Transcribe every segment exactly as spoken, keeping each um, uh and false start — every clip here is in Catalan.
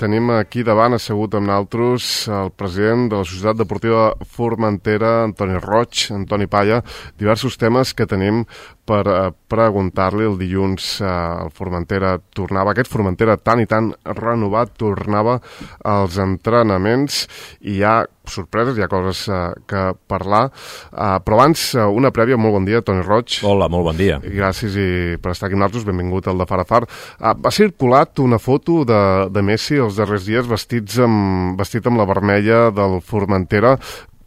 tenim aquí davant assegut amb nosaltres el president de la Societat Deportiva Formentera, Antoni Roig, Antoni Palla, diversos temes que tenim per eh, preguntar-li. El dilluns eh, el Formentera tornava, aquest Formentera tan i tan renovat, tornava als entrenaments i hi ha sorpreses, hi ha coses eh, que parlar, eh, però abans eh, una prèvia. Molt bon dia, Toni Roig. Hola, molt bon dia. I gràcies i per estar aquí amb nosaltres, benvingut al de Far a Far. Eh, va circulat una foto de, de Messi els darrers dies vestits amb, vestit amb la vermella del Formentera.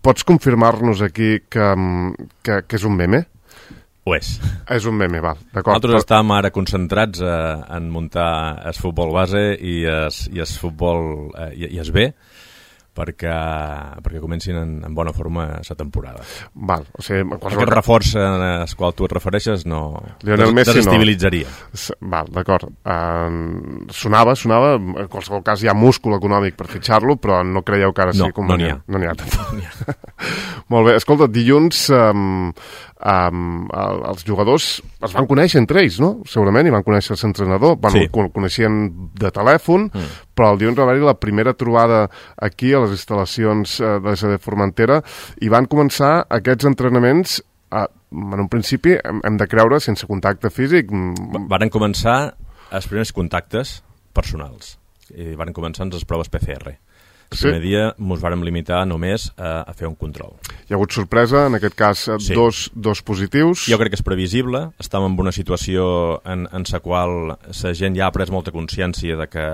Pots confirmar-nos aquí que, que, que és un meme? Ho és. És un meme, val, d'acord. Nosaltres estàvem ara concentrats eh, en muntar el futbol base i el futbol eh, i, i es B, perquè, perquè comencin en, en bona forma la temporada. Val, o sigui... Aquest reforç al qual tu et refereixes no Lionel des, Messi desestabilitzaria. No. Val, d'acord. Uh, sonava, sonava, en qualsevol cas hi ha múscul econòmic per fitxar-lo, però no creieu que ara no, sí convenient? No n'hi ha. No n'hi ha. No n'hi ha. Molt bé, escolta, dilluns um, um, els jugadors es van conèixer entre ells, no? Segurament, i van conèixer l'entrenador, bueno, sí. El coneixien de telèfon, mm. però el dilluns va haver-hi la primera trobada aquí a les instal·lacions de la S D Formentera i van començar aquests entrenaments, eh, en un principi hem, hem de creure sense contacte físic. Varen començar els primers contactes personals i varen començar amb les proves P C R. El primer sí. dia ens vàrem limitar només a, a fer un control. Hi ha hagut sorpresa, en aquest cas sí. dos, dos positius. Jo crec que és previsible, estàvem en una situació en, en la qual la gent ja ha pres molta consciència de que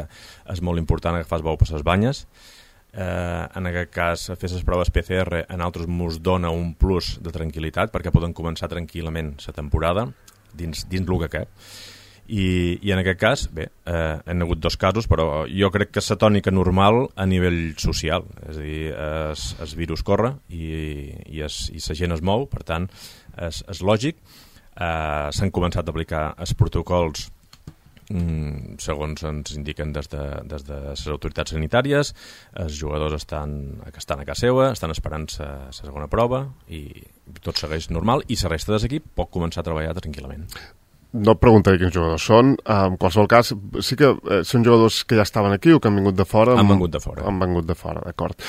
és molt important agafar el bou per les banyes. Eh, en aquest cas, fer les proves P C R a nosaltres ens dona un plus de tranquil·litat perquè poden començar tranquil·lament la temporada dins, dins el que cap. I, i en aquest cas, bé, eh, han hagut dos casos, però jo crec que és la tònica normal a nivell social, és a dir, es, es virus corre i, i, es, i la gent es mou, per tant, és, és lògic. Eh, s'han començat a aplicar els protocols mm, segons ens indiquen des de, des de les autoritats sanitàries, els jugadors estan, que estan a casa seva, estan esperant la segona prova i tot segueix normal i la resta de l'equip pot començar a treballar tranquil·lament. No et preguntaré quins jugadors són. En qualsevol cas, sí que eh, són jugadors que ja estaven aquí o que han vingut de fora? Han vingut de fora. Han vingut de fora, d'acord.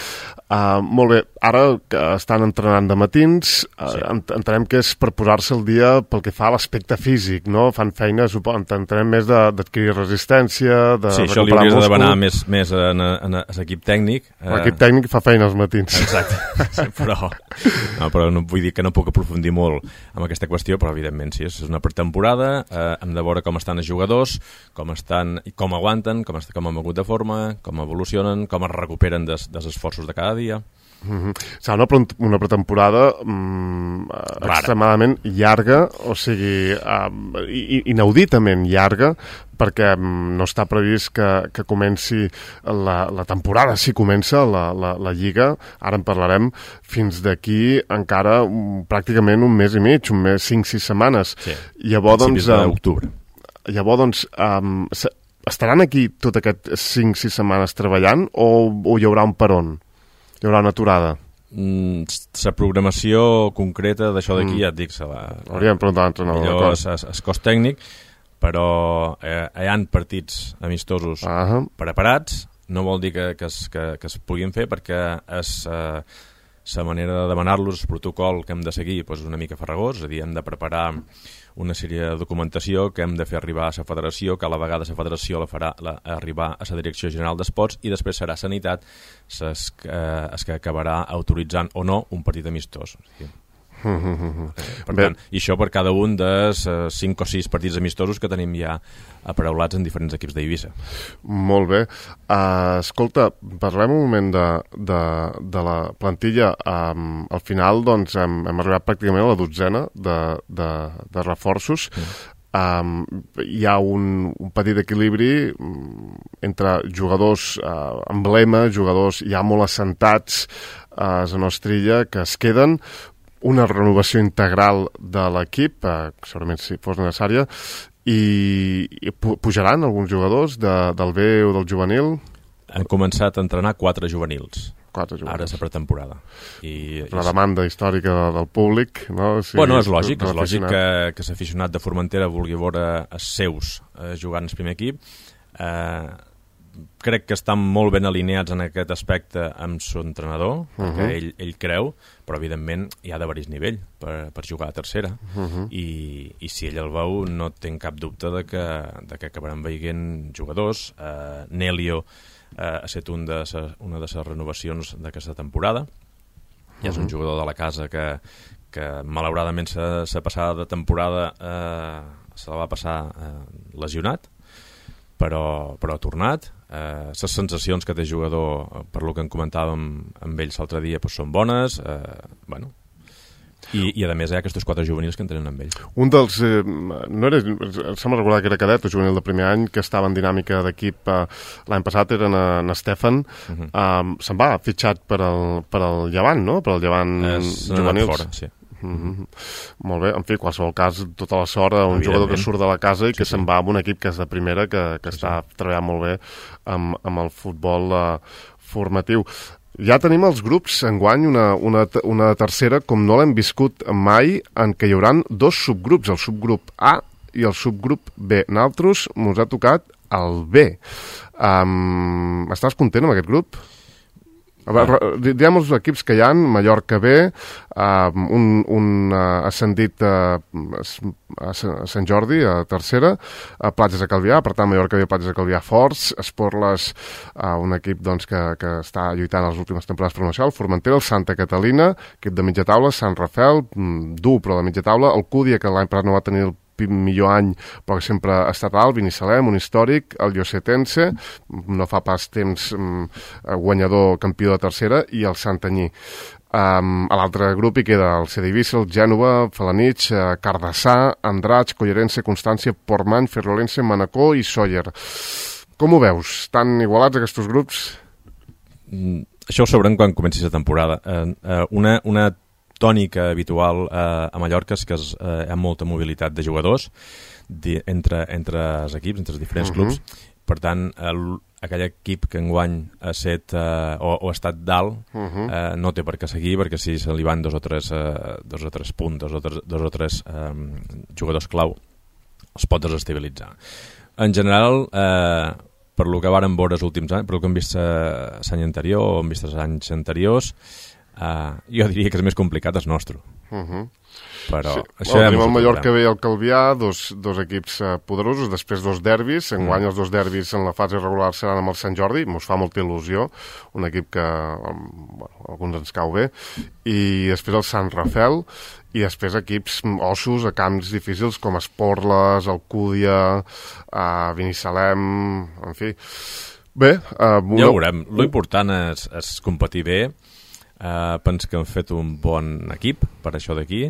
Uh, molt bé, ara que estan entrenant de matins, uh, sí. entenem que és per posar-se al dia pel que fa a l'aspecte físic, no? Fan feina, suposo, entenem més d'adquirir resistència, de sí, això li hauries de demanar més, més en, en, en l'equip tècnic. L'equip tècnic fa feina als matins. Exacte, sí, però, no, però no, vull dir que no puc aprofundir molt en aquesta qüestió, però evidentment sí, és una pretemporada. Eh, hem de veure com estan els jugadors, com estan, com aguanten, com, est com han mogut de forma, com evolucionen, com es recuperen des, dels esforços de cada dia. Mm-hmm. Serà una, pre una pretemporada mm, extremadament llarga, o sigui, uh, inauditament llarga, perquè mm, no està previst que, que comenci la, la temporada, si comença la, la, la Lliga, ara en parlarem, fins d'aquí encara um, pràcticament un mes i mig, un mes, cinc, sis setmanes. Sí, llavors, principis doncs, d'octubre. Llavors, doncs, um, estaran aquí tot aquest cinc, sis setmanes treballant o, o hi haurà un peron? Hi haurà una aturada? Mm, la programació concreta d'això d'aquí, mm. ja et dic, se la... Hauríem preguntat a l'entrenador. Millor és, és, és cos tècnic, però eh, hi ha partits amistosos uh -huh. preparats, no vol dir que, que, es, que, que es puguin fer perquè és eh, la manera de demanar-los, el protocol que hem de seguir doncs, és una mica farragós, és a dir, hem de preparar una sèrie de documentació que hem de fer arribar a la federació, que a la vegada la federació la farà la, arribar a la Direcció General d'Esports i després serà Sanitat es, eh, es que acabarà autoritzant o no un partit amistós. Sí. Per tant, i això per cada un dels uh, cinc o sis partits amistosos que tenim ja aparaulats en diferents equips d'Eivissa. Molt bé. Uh, escolta, parlem un moment de, de, de la plantilla. Um, al final, doncs, hem, hem arribat pràcticament a la dotzena de, de, de reforços. Mm. Um, hi ha un, un petit equilibri um, entre jugadors uh, emblema, jugadors ja molt assentats a la nostra illa, que es queden, una renovació integral de l'equip, eh, segurament si fos necessària, i, i pujaran alguns jugadors de, del B o del juvenil? Han començat a entrenar quatre juvenils. Quatre juvenils. Ara és la pretemporada. I, la demanda històrica del públic, no? Sí, bueno, és lògic, és lògic que, que l'aficionat de Formentera vulgui veure els seus eh, jugant al primer equip. Eh, crec que estan molt ben alineats en aquest aspecte amb son entrenador, uh-huh. perquè ell, ell creu, però evidentment hi ha de varis nivell per, per jugar a tercera, uh-huh. I, i si ell el veu no tinc cap dubte de que, de que acabaran veient jugadors. uh, Nelio uh, ha estat un de ses, una de les renovacions d'aquesta temporada, i és un jugador de la casa que, que malauradament sa, sa passada de temporada eh, se la va passar eh, lesionat, però, però ha tornat. Les eh, sensacions que té jugador, per lo que en comentàvem amb ells l'altre dia, doncs són bones. eh, bueno, I, i a més hi ha aquests quatre juvenils que entrenen amb ell. Un dels, eh, no era, sembla recordar que era cadet o juvenil de primer any, que estava en dinàmica d'equip eh, l'any passat, era en, en Stefan. Uh-huh. eh, se'n va fitxat per al, per al Llevant, no? Per al Llevant es, juvenils. Fora, sí. Mm-hmm. Molt bé, en fi, qualsevol cas, tota la sort a un jugador que surt de la casa i que sí, se'n va amb un equip que és de primera, que, que sí, està sí. treballant molt bé amb, amb el futbol uh, formatiu. Ja tenim els grups enguany, una, una, una tercera, com no l'hem viscut mai, en què hi haurà dos subgrups, el subgrup A i el subgrup B. Nosaltres ens ha tocat el B. Um, estàs content amb aquest grup? A veure, diguem els equips que hi ha: Mallorca B, uh, un, un uh, ascendit uh, a Sant Jordi, a tercera, a Platges de Calvià, per tant Mallorca B, Platges de Calvià forts, Esporles, uh, un equip doncs, que, que està lluitant les últimes temporades promocionals, Formentera, el Santa Catalina, equip de mitja taula, Sant Rafel, dur però de mitja taula, el Cúdia, que l'any passat no va tenir el millor any, però que sempre ha estat alt, Binissalem, un històric, el Llosetense, no fa pas temps um, guanyador campió de tercera, i el Santanyí. Um, a l'altre grup hi queda el C D Eivissa, el Gènova, Felanitx, uh, Cardassà, Andratx, Collerense, Constància, Portmany, Ferrolense, Manacor i Sóller. Com ho veus? Estan igualats aquests grups? Mm, això ho sabrem quan comenci la temporada. Uh, uh, una, una tònica habitual eh, a Mallorca és que es, eh, hi ha molta mobilitat de jugadors di, entre, entre els equips, entre els diferents uh-huh. clubs. Per tant, el, aquell equip que enguany ha, set, eh, o, o ha estat dalt uh-huh. eh, no té per què seguir, perquè si se li van dos o tres, eh, dos o tres punts, dos o tres, dos o tres eh, jugadors clau, els pot desestabilitzar. En general, eh, per lo que varen veure els últims anys, per lo que hem vist l'any anterior o hem vist els anys anteriors, Uh, jo diria que és més complicat el nostre. Uh-huh. Però sí. això bueno, tenim el Mallorca B i el Calvià, dos, dos equips uh, poderosos, després dos derbis. Enguany mm. els dos derbis en la fase regular seran amb el Sant Jordi, mos fa molta il·lusió, un equip que um, bueno, alguns ens cau bé, i després el Sant Rafel, i després equips ossos a camps difícils com Esporles, Alcúdia, uh, Binissalem, en fi. Bé, uh, una... ja ho veurem. Lo important és, és competir bé. Uh, penso que han fet un bon equip per això d'aquí,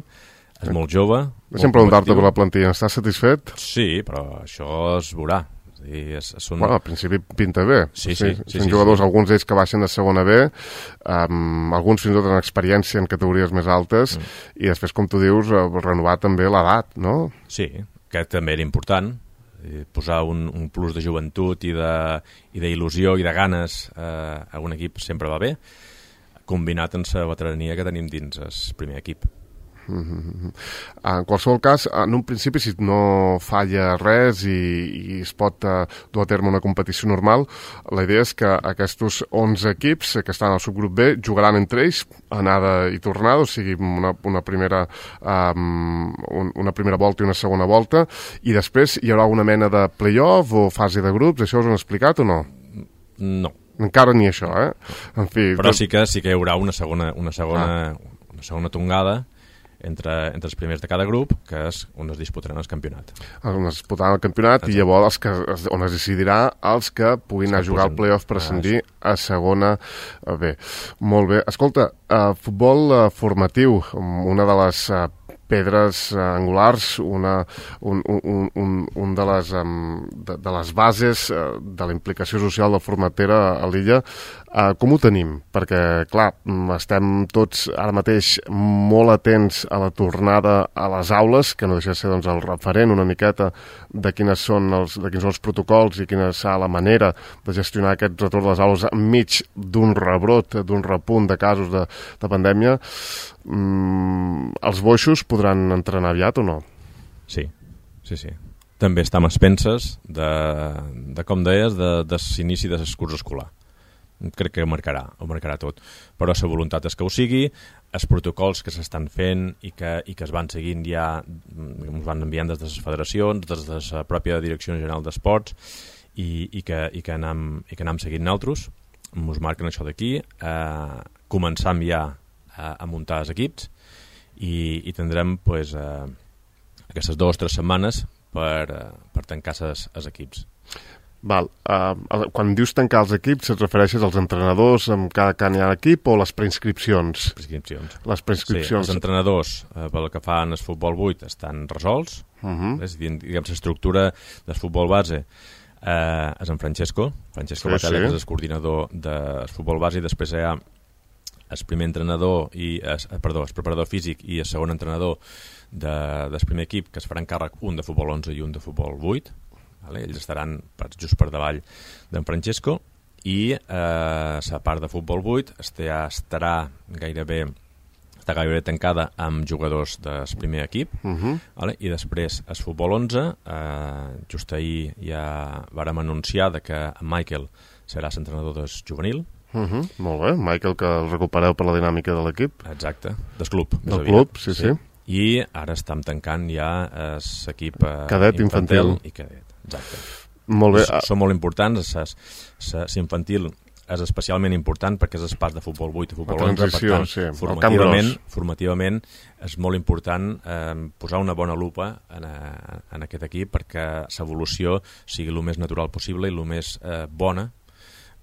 és molt jove. Deixa'm preguntar-te per la plantilla, estàs satisfet? Sí, però això es veurà. És, és un... Bueno, al principi pinta bé. Sí, sí. sí, sí Són sí, jugadors, sí. alguns d'ells que baixen de segona B, um, alguns fins i tot en experiència en categories més altes, mm. i després, com tu dius, uh, renovar també l'edat, no? Sí, que també era important, posar un, un plus de joventut i d'il·lusió i de ganes uh, a un equip sempre va bé, combinat amb la veterania que tenim dins el primer equip. Mm-hmm. En qualsevol cas, en un principi, si no falla res i, i es pot uh, dur a terme una competició normal, la idea és que aquests onze equips que estan al subgrup B jugaran entre ells anada i tornada, o sigui, una, una, primera, um, un, una primera volta i una segona volta, i després hi haurà una mena de play-off o fase de grups. Això us ho han explicat o no? No. Encara ni això, eh? En fi, però sí que, sí que hi haurà una segona, una segona, ah. una segona tongada entre, entre els primers de cada grup, que és on es disputaran el campionat. On es disputaran el campionat. Exacte. I llavors els que, on es decidirà els que puguin els anar a jugar al play-off per ascendir ah, a segona B. Molt bé. Escolta, uh, futbol uh, formatiu, una de les uh, pedres uh, angulars, una, un, un, un, un de, les, um, de, de les bases uh, de la implicació social de Formentera a l'illa. Uh, com ho tenim? Perquè, clar, estem tots ara mateix molt atents a la tornada a les aules, que no deixa de ser doncs, el referent una miqueta de quines són els, de quins són els protocols i quina serà la manera de gestionar aquest retorn de les aules enmig d'un rebrot, d'un repunt de casos de, de pandèmia. Mm, els boixos podran entrenar aviat o no? Sí, sí, sí. també estem a expenses de, de com deies, de, de l'inici de l'excurs escolar. Crec que ho marcarà, ho marcarà tot. Però la voluntat és que ho sigui, els protocols que s'estan fent i que, i que es van seguint ja, ens van enviant des de les federacions, des de la pròpia Direcció General d'Esports, i, i, que, i, que anem, i que anem seguint nosaltres, ens marquen això d'aquí, eh, començam ja a, a muntar els equips i, i tindrem pues, eh, aquestes dues o tres setmanes per, eh, per tancar els equips. Val. Uh, quan dius tancar els equips, et refereixes als entrenadors amb cada can hi ha equip o les preinscripcions? Preinscripcions. Les preinscripcions. Sí, els entrenadors, eh, pel que fan el futbol vuit, estan resolts. Uh-huh. És a dir, diguem, l'estructura del futbol base eh, és en Francesco. Francesco sí, Batalla, sí. Que és el coordinador del futbol base, i després hi ha el primer entrenador, i es, perdó, el preparador físic i el segon entrenador de, del primer equip, que es faran càrrec un de futbol onze i un de futbol vuit. Vale? Ells estaran per, just per davall d'en Francesco, i eh, la part de futbol vuit estarà, estarà gairebé està gairebé tancada amb jugadors del primer equip, uh-huh. Vale? I després el futbol onze, eh, just ahir ja vàrem anunciar de que en Michael serà l'entrenador del juvenil. Uh-huh. Molt bé, Michael, que el recupereu per la dinàmica de l'equip. Exacte, del club. Del club, sí, sí, sí. I ara estem tancant ja l'equip eh, cadet infantil. I cadet. Exacte. Molt bé. Són molt importants. L'infantil és especialment important perquè és el pas de futbol vuit a futbol onze. Per tant, sí, formativament, formativament és molt important eh, posar una bona lupa en, a, en aquest equip perquè l'evolució sigui el més natural possible i el més eh, bona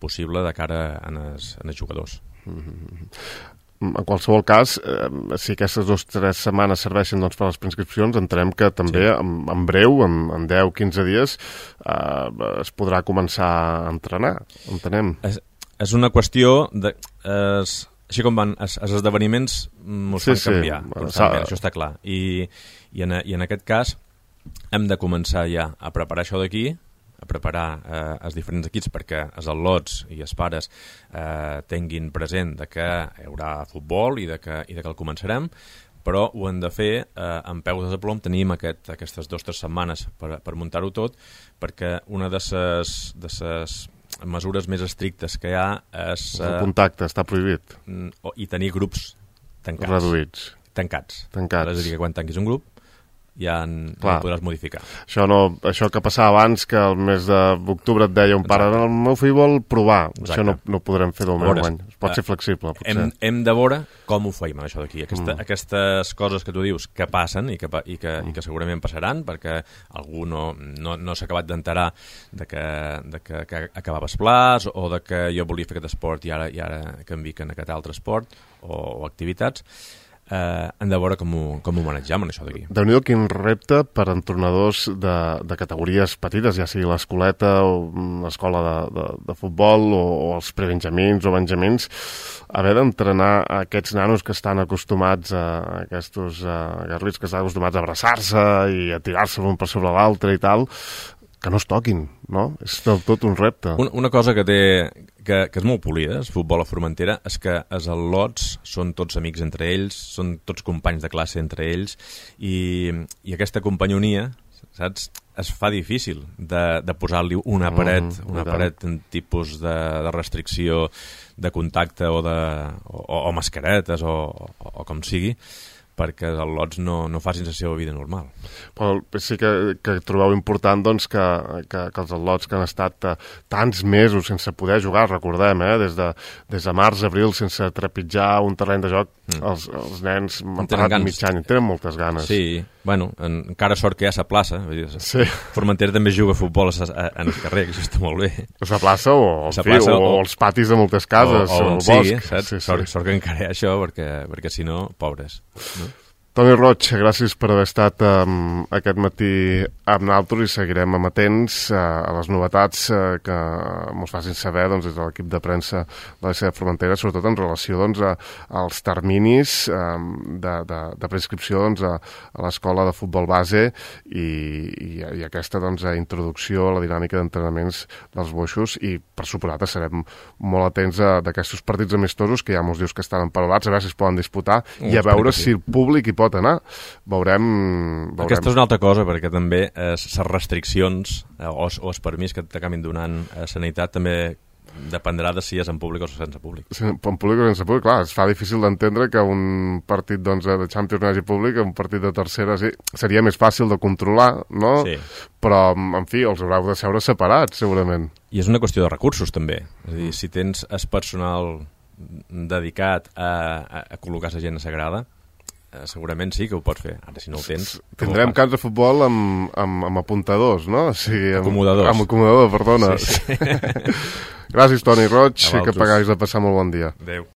possible de cara a els jugadors. Mm-hmm. En qualsevol cas, eh, si aquestes dues o tres setmanes serveixen doncs, per les preinscripcions, entenem que també sí. en, en breu, en, en deu o quinze dies, eh, es podrà començar a entrenar, entenem. És, és una qüestió de... Es, així com van, els, els esdeveniments ens sí, fan canviar, sí. Constantment, això està clar. I, i, en, I en aquest cas hem de començar ja a preparar això d'aquí, a preparar eh, els diferents equips perquè els al·lots i els pares eh, tinguin present de que hi haurà futbol i de que, i de que el començarem, però ho hem de fer eh, amb peus de plom. Tenim aquest, aquestes dues o tres setmanes per, per muntar-ho tot, perquè una de les de ses mesures més estrictes que hi ha és... Eh, el contacte està prohibit. I tenir grups tancats. Reduïts. Tancats. Tancats. És a dir, que quan tanquis un grup ja en, no podràs modificar. Això, no, això que passava abans, que el mes d'octubre et deia un pare, el meu fill vol provar. Exacte. Això no, no ho podrem fer del meu any. Es pot ser flexible, potser. Hem, hem de veure com ho feim, això d'aquí. Aquesta, mm. Aquestes coses que tu dius que passen i que, i que, mm. i que segurament passaran, perquè algú no, no, no s'ha acabat d'enterar de que, de que, que acabava el plaç, o de que jo volia fer aquest esport i ara, i ara canvic en aquest altre esport o, o activitats. Eh, hem de veure com ho, com ho manegem en això d'aquí. Déu-n'hi-do quin repte per entrenadors de, de categories petites, ja sigui l'escoleta o l'escola de, de, de futbol o, o els prebenjamins o benjamins, haver d'entrenar aquests nanos que estan acostumats a, a aquests uh, garrits que estan acostumats a abraçar-se i a tirar-se l'un per sobre l'altre i tal, que no es toquin, no? És del tot un repte. Una, una cosa que té... Que, que és molt polida, el futbol a Formentera, és que els al·lots són tots amics entre ells, són tots companys de classe entre ells, i, i aquesta companyonia, saps, es fa difícil de, de posar-li una paret, mm, una paret en tipus de, de restricció de contacte o, de, o, o mascaretes o, o, o com sigui, perquè els al·lots no, no facin la seva vida normal. Però sí que, que trobeu important doncs, que, que, que els al·lots que han estat uh, tants mesos sense poder jugar, recordem, eh, des, de, des de març, abril, sense trepitjar un terreny de joc, mm. els, els nens han parat mig any, tenen moltes ganes. Sí, bueno, en, encara sort que hi ha la plaça. Sí. Formentera també juga a futbol a, a, en el carrer, que això està molt bé. A la plaça o, la fi, plaça, o, o els patis de moltes cases, o, o, o el sigui, bosc. Saps? Sí, sort, sí. Sort que encara hi ha això, perquè, perquè si no, pobres. No? Toni Roig, gràcies per haver estat um, aquest matí amb nosaltres i seguirem amatents uh, a les novetats uh, que ens facin saber doncs, des de l'equip de premsa de la seva Formentera, sobretot en relació doncs, a, als terminis um, de, de, de prescripció doncs, a, a l'escola de futbol base i, i, i aquesta doncs, introducció a la dinàmica d'entrenaments dels boixos, i per suposat serem molt atents d'aquests partits amistosos que ja mos dius que estan emparolats, a veure si es poden disputar i a veure si el públic hi pot pot anar. Veurem... veurem. Aquesta és una altra cosa, perquè també les eh, restriccions eh, o, o els permís que t'acabin donant a Sanitat també dependrà de si és en públic o sense públic. Sí, en públic o sense públic, clar, es fa difícil d'entendre que un partit doncs, de Champions no hagi públic, un partit de tercera sí, seria més fàcil de controlar, no? Sí. Però, en fi, els haureu de seure separats, segurament. I és una qüestió de recursos, també. És a dir, si tens el personal dedicat a, a, a col·locar la gent sagrada, eh, segurament sí que ho pots fer. Ara, si no ho tens... Tindrem camps de futbol amb, amb, amb apuntadors, no? O sigui, amb, acomodadors. Amb acomodador, perdona. Sí, sí. Gràcies, Toni Roig, que vosaltres. paguis de passar molt bon dia. Adéu.